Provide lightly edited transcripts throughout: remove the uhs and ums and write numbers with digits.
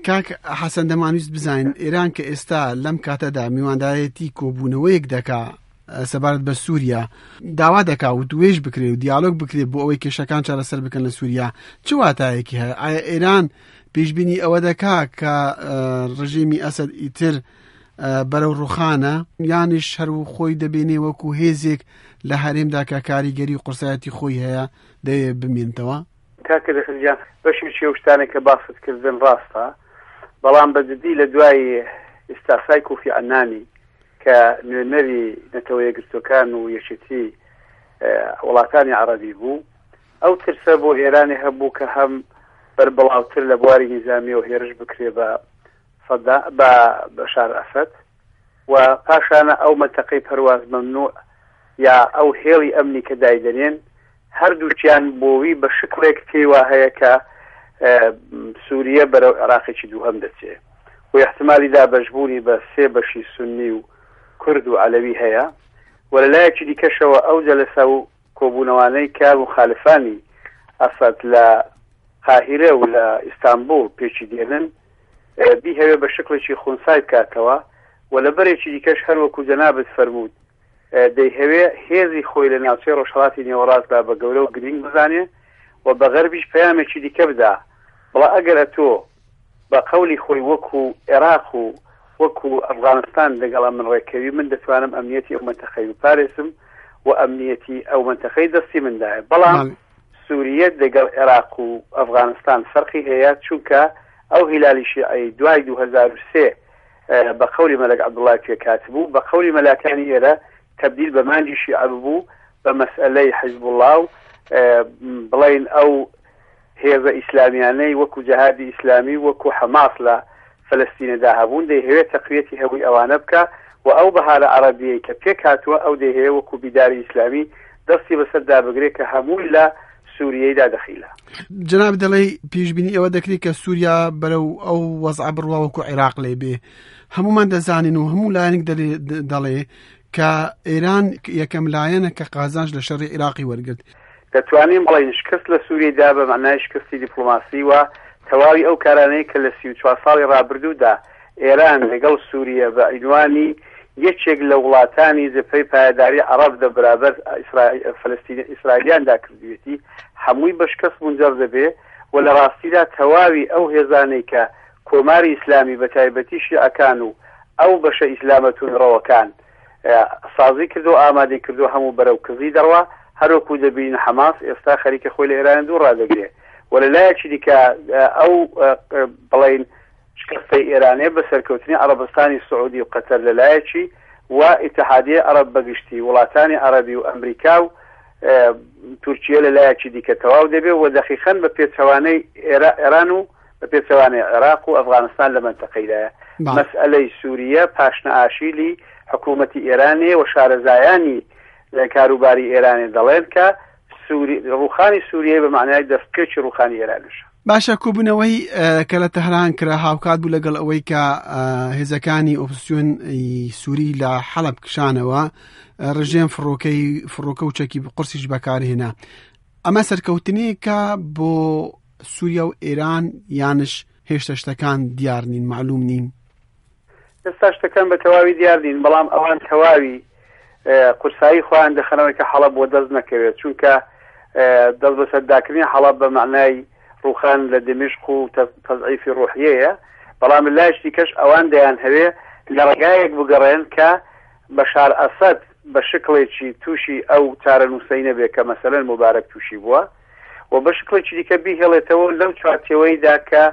کاک حەسەن دەمانویست بزانین ئێران کە ئێستا لەم کاتەدا میواندارێتی کۆبوونەوەیەک دەکا سەبارەت بە سووریا داوا دەکا وتوێژ بکرێ و دیالۆگ بکرێ بۆ ئەوەی کێشەکان چارەسەر بکەن لە سووریا چ واتایەکی هەیە؟ ئایا ئێران پێشبینی ئەوە دەکا کە ڕژێمی ئەسەد ئیتر بەرەو ڕوخانە یانیش هەر و خۆی دەبینێ وەکو هێزێک لە هەرێمدا کە کاریگەری و قورسایەتی خۆی هەیە دەیە بمێنتەوە؟ کاکە دەخل گیان بەشێکی ئەو شتانەی کە باست کردن ڕاستە بەڵام بە جدی لە دوای ئیستعفای کوفی عەنانی کە نوێنەری نەتەوە یەکگرتووەکان و یەکێتی وڵاتانی عەڕەبی بوو ئەو ترسە بۆ ئێرانی هەبوو کە هەم بەربڵاوتر لە بواری نیزامیەوە هێرش بکرێ بە سەدا بە بەشار ئەسەد و پاشانە ئەو مەنتەقەی پەرواز مەمنوع یا ئەو هێڵی ئەمنی کە دایدەنێن هەردووکیان بۆوی بە شکڵێک پێی وا هەیە کە سووریە بەرەو عێراقێکی دووهەم دەچێ و ئیحتمالی دابەشبوونی بە سێ بەشی سوننی و کورد و عەلەوی هەیە و لە لایەکی دیکەشەوە ئەو جەلەسە و کۆبوونەوانەی کە موخالفانی ئەسەد لە قاهیرە و لە ئیستانبوڵ پێکی دێنن بیهەوێ بە شکڵێکی خونسای بکاتەوە و لە بەرێکی دیکەش هەر وەکوو جەنابت فەرمووت دەیهەوێ هێزی خۆی لە ناوچەی ڕۆژهەڵاتی نێوەڕاستدا بە گەورە و گرینگ بزانێ و بە غەربیش پەیامێکی دیکە بدا بڵا ئەگەر ئەتۆ بە قەولی خۆی وەکوو ئێراق و وەکوو ئەفغانستان لەگەڵ ئەمن ڕێککەوی من دەتوانم ئەمنیەتی ئەو مەنتەقەی بپارێزم و ئەمنیەتی ئەو مەنتەقەی دەستی مندایە بەڵام سوریە دەگەڵ عێراق و ئەفغانستان فەرقی هەیە چونکە ئەو هیلالی شیعەی دوای 2003 بە قەولی مەلەک عەبدوڵای پێکهاتبوو بە قەولی مەلاکانی ئێرە تەبدیل بە مانگی شیعە ببوو بە مەسئەلەی حیزبوڵا و بڵین ئەو هێزە ئیسلامیانەی وەکو جەهادی ئیسلامی و وەکو حەماس لە فەلەستینەدا هەبوون دەیهەوێت تەقویەتی هەبووی ئەوانە بکا و ئەو بەهارە عەڕەبیەی کە پێک هاتووە ئەو دەیهەوێ وەکو بیداری ئیسلامی دەستی بەسەر دابگرێ کە هەمووی لە سوریەیدا دەخیلە. جەنابت دەڵێی پێشبینی ئەوە دەکرێت کە سووریا بەرەو ئەو وەزعە بڕوا وەکو عێراق لێ بێ هەمومان دەزانین و هەموو لایەنێک دەڵێ کە ئێران یەکەم لایەنە کە قازانج لە شەڕی عێراقی وەرگرت. دەتوانین بڵێین شکست لە سووریەدا بە مەعنای شکستی دیپڵۆماسی و تەواوی ئەو کارانەی کە لە 34 ساڵی ڕابردوودا ئێران لەگەڵ سووریە بە عینوانی یەکێک لە وڵاتانی جەبهەی پایەداری عەڕەب دە بەرابەر فەلەستین ئیسرائیلیاندا کردوویەتی هەمووی بە شکست مونجەر دەبێ و لە ڕاستیدا تەواوی ئەو هێزانەی کە کۆماری ئیسلامی بە تایبەتی شیعەکان و ئەو بەشە ئیسلامە توندڕەوەکان سازی کردو ئامادەی کردو هەموو بەرەو کزی دەڕوا هەروەکو دەبینین حەماس ئێستا خەریکە خۆی لە ئێران دوور ڕادەگرێ و لە لایەکی دیکە ئەو بڵین شکستەی ئێرانێ بە سەرکەوتنی عەڕەبستانی سعودی و قەتەر لە لایەکی و ئیتحادیەی عەڕەب بە گشتی وڵاتانی عەڕەبی و ئەمریکا و تورکیە لە لایەکی دیکە تەواو دەبێ و دەقیقەن بە پێچەوانەی ئێران و بە پێچەوانەی عێراق و ئەفغانستان لە مەنتەقەیدایە. مەسئەلەی سووریە پاشنەئاشیلی حکوومەتی ئێرانێ و شارەزایانی لە کاروباری ئێرانێ دەڵێن کە سووری ڕووخانی سووریە بە مەعنای دەستپێکی ڕووخانی ئێرانیشە. باشە کۆبوونەوەی کە لە تەهران کرا هاوکات بوو لەگەڵ ئەوەی کە هێزەکانی ئۆپسیۆن سووری لە حەڵب کشانەوە ڕژێم فڕۆکەی فڕۆکە و چەکی قورسیش بەکارهێنا ئەمە سەرکەوتنێکە بۆ سووریا و ئێران یانش هێشتا شتەکان دیار نین معلوم نین ئێستا شتەکان بە تەواوی دیار نین بەڵام ئەوان تەواوی قورسایی خۆیان دەخەنەوەی کە حەڵەب بۆ دەست نەکەوێت چونکە دەست بەسەرداکردنی حەڵەب بە مەعنای ڕوخان لە دمشق و تەزعیفی ڕوحیەیە بەڵام لایش دیکەش ئەوان دەیان هەوێ لە ڕێگایەک بگەڕێن کە بەشار ئەسەد بە شکڵێکی تووشی ئەو چارەنووسەی نەبێ کە مەسەلەن موبارەک تووشی بووە و بە شکڵێکی دیکە بیهێڵێتەوە لەو چوارچێوەیدا کە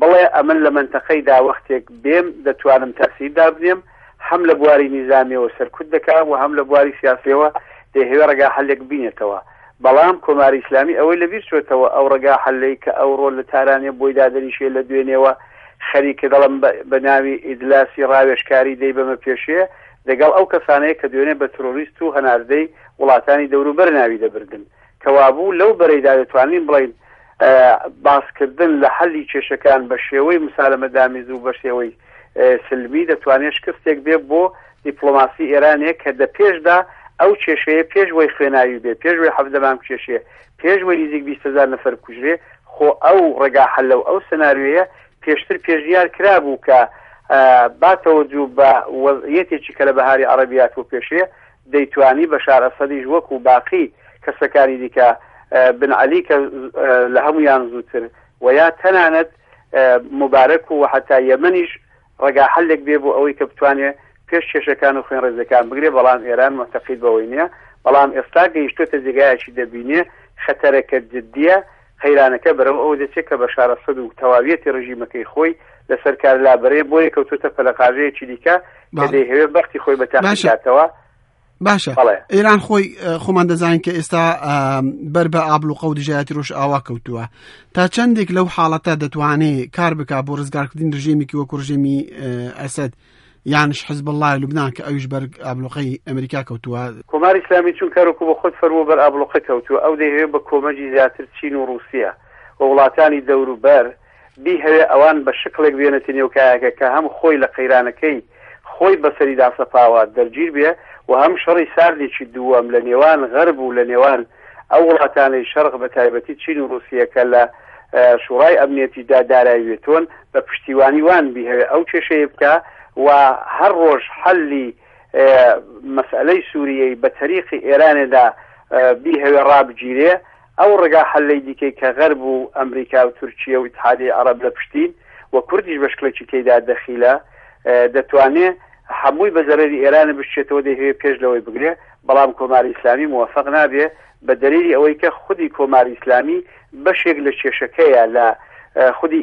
بڵێ ئەمن لە مەنتەقەیدا وەختێک بێم دەتوانم تەئسیر دابنێم هەم لە بواری نیزامیەوە سەرکوت دەکا و هەم لە بواری سیاسیەوە دەیهەوێ ڕێگا حەلێک بینێتەوە بەڵام کۆماری ئیسلامی ئەوەی لە بیر چۆتەوە ئەو ڕێگا حەلەی کە ئەوڕۆ لە تارانێ بۆی دادەنیشێ لە دوێنێوە خەریکە دەڵم بە ناوی ئیجلاسی ڕاوێژکاری دەیبەمە پێشێ دەگەڵ ئەو کەسانەیە کە دوێنێ بە ترۆریست و هەناردەی وڵاتانی دەوروبەر ناوی دەبردن کەوابوو لەو بەرەیدا دەتوانین بڵێین باسکردن لە حەلی کێشەکان بە شێوەی مسالەمەدامیز و بە شێوەی سلمی دەتوانێت شکستێک بێ بۆ دیپلۆماسی ئێرانێ کە دە پێشدا ئەو کێشەیە پێش وەی خوێناوی بێ پێش وەی حەڤدە مانگ کێشێ پێش وەی نزیک 20 هەزار نەفەر بکوژرێ خۆ ئەو ڕێگا حەلە و ئەو سناریۆیە پێشتر پێشنیار کرابوو کە با تەوەجوه بە وەزعیەتێکی کە لە بەهاری عەڕەبی هاتووە پێشێ، دەیتوانی بەشار ئەسەدیش وەکوو باقی کەسەکانی دیکە، بن عەلی کە لە هەموویان زووتر و یا تەنانەت موبارەک و حەتا یەمەنیش ڕێگا حەلێک بێ بۆ ئەوەی کە بتوانێ پێش کێشەکان و خوێنڕێزیەکان بگرێ، بەڵام ئێران موعتەقید بەوەی نیە، بەڵام ئێستا گەیشتۆتە جێگایەکی دەبینێ خەتەرەکە جدیە، قەیرانەکە بەرەو ئەوە دەچێ کە بەشار ئەسەد و تەواویەتی ڕژیمەکەی خۆی لەسەر کار لابەرێ، بۆیە کەوتۆتە پەلەقاژەیەکی دیکە کە دەیهەوێ بەختی خۆی بە تاقی بکاتەوە. باشە ئێران خۆی خۆمان دەزانین کە ئێستا بەر بە ئابلوقە و دژایەتی ڕۆژئاوا کەوتووە تا چەندێک لەو حاڵەتە دەتوانێت کار بک بۆ ڕزگارکردنی ڕژێمێکی وەکو ڕژێمی ئەسەد یانش حزب الله لوبناان کە ئەویش بەر ئابلوقەی ئەمریکا کەوتووە. کۆماری ئیسلامی چونکە وەکو بە خۆت فەرموو بەر ئابلوقە کەوتووە ئەو دەیهەوێ بە کۆمەکی زیاتر چین و ڕووسیە و وڵاتانی دەوروبەر بیهەوێ ئەوان بە شکڵێک بێنێتە نێو کایەکە کە هەم خۆی لە قەیرانەکەی خۆی بەسەری داسەپاوە دەرگیر بێ و هەم شەڕی ساردێکی دووەم لە نێوان غەرب و لە نێوان ئەو وڵاتانەی شەرق بە تایبەتی چین و ڕووسیە کە لە شوڕای ئەمنیەتی دا دارای وێتۆن بە پشتیوانی وان بیهەوێ ئەو کێشەیە بکا و هەر ڕۆژ حەلی مەسئەلەی سووریەی بە تەریقی ئێرانێدا بیهەوێ ڕابگیرێ. ئەو ڕێگا حەلەی دیکەی کە غەرب و ئەمریکا و تورکیە و ئیتحادیەی عەڕەب لە پشتین و کوردیش بە شکڵێکی تێیدا دەخیلە دەتوانێ هەمووی بە زەرەری ئێرانە بشچێتەوە دەیهەوێ پێش لەوەی بگرێ بەڵام کۆماری ئیسلامی موەفەق نابێ بە دەلیلی ئەوەی کە خودی کۆماری ئیسلامی بەشێک لە کێشەکەیە لە خودی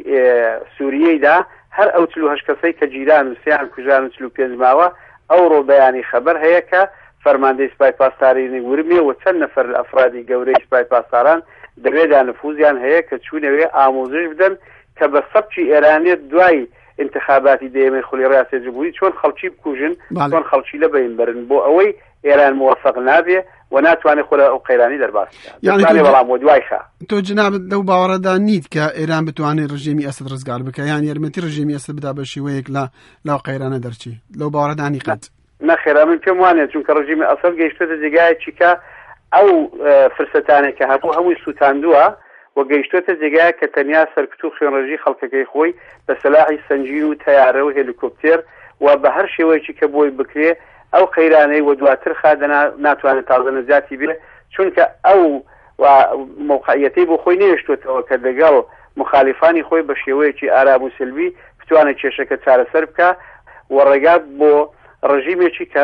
سووریەیدا هەر ئەو 48 کەسەی کە گیران و سیان کوژران و 45 ماوە ئەوڕۆ بەیانی خەبەر هەیە کە فەرماندەی سپای پاسدارینی ورمێ و چەند نەفەر لە ئەفرادی گەورەی سپای پاسداران دەوێدا نفوزیان هەیە کە چوونەوێ ئاموزش بدەن کە بە سەبکی ئێرانێت دوای ئینتخاباتی دەیەمەی خولی ڕیاسەی جمهوری چۆن خەڵکی بکوژن، چۆن خەڵکی لە بەین بەرن بۆ ئەوەی ئێران موەفەق نابێ و ناتوانێ خۆ لە ئەو قەیرانی دەرباز بکا. یانی دەتوانێ بەڵام وەدوای خا. تۆ جنابت لەو باوەڕەدا نیت کە ئێران بتوانێ ڕژێمی ئەسەد ڕزگار بکا یان یارمەتی ڕژێمی ئەسەد بدا بە شێوەیەک لە لەو قەیرانە دەرچی؟ لەو باوەڕەدا نی قەت؟ نەخێر ئەمن پێم وانیە چونکە ڕژیمی ئەسەد گەیشتۆتە جێگایەکی کە ئەو فرسەتانەی کە هەبوو هەمووی سووتاندووە و گەیشتۆتە جێگایەک کە تەنیا سەرکوت و خوێنڕێژی خەڵکەکەی خۆی بە سەلاحی سەنگین و تەیارە و هێلیکۆپتێر و بە هەر شێوەیەکی کە بۆی بکرێ ئەو قەیرانەی و دواتر خا دەنا ناتوانێت تازە نەجاتی بێ چونکە ئەو و مەوقعیەتەی بۆ خۆی نەهێشتۆتەوە کە دەگەڵ موخالیفانی خۆی بە شێوەیەکی ئارام و سلمی بتوانێت کێشەکە چارەسەر بکا و ڕێگا بۆ ڕژیمێکی کە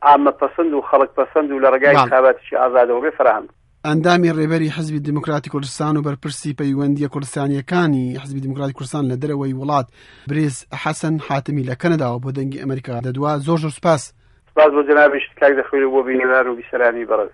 عامە پەسند و خەڵک پەسند و لە ڕێگای انتخاباتێکی ئازادەوە بێ فەراهەم بکا. ئەندامی ڕێبەری حزبی دیموکراتی کوردستان و بەرپرسی پەیوەندییە کوردستانییەکانی حزبی دیموکراتی کوردستان لە دەرەوەی وڵات برێز حەسەن حاتەمی لە کەنەداوە بۆ دەنگی ئەمریکا دەدوا. زۆر زۆر سپاس. سپاس بۆ جەنابیشت کاک دەخویر و بۆ بینەران و بیسەرانی بەڕێز.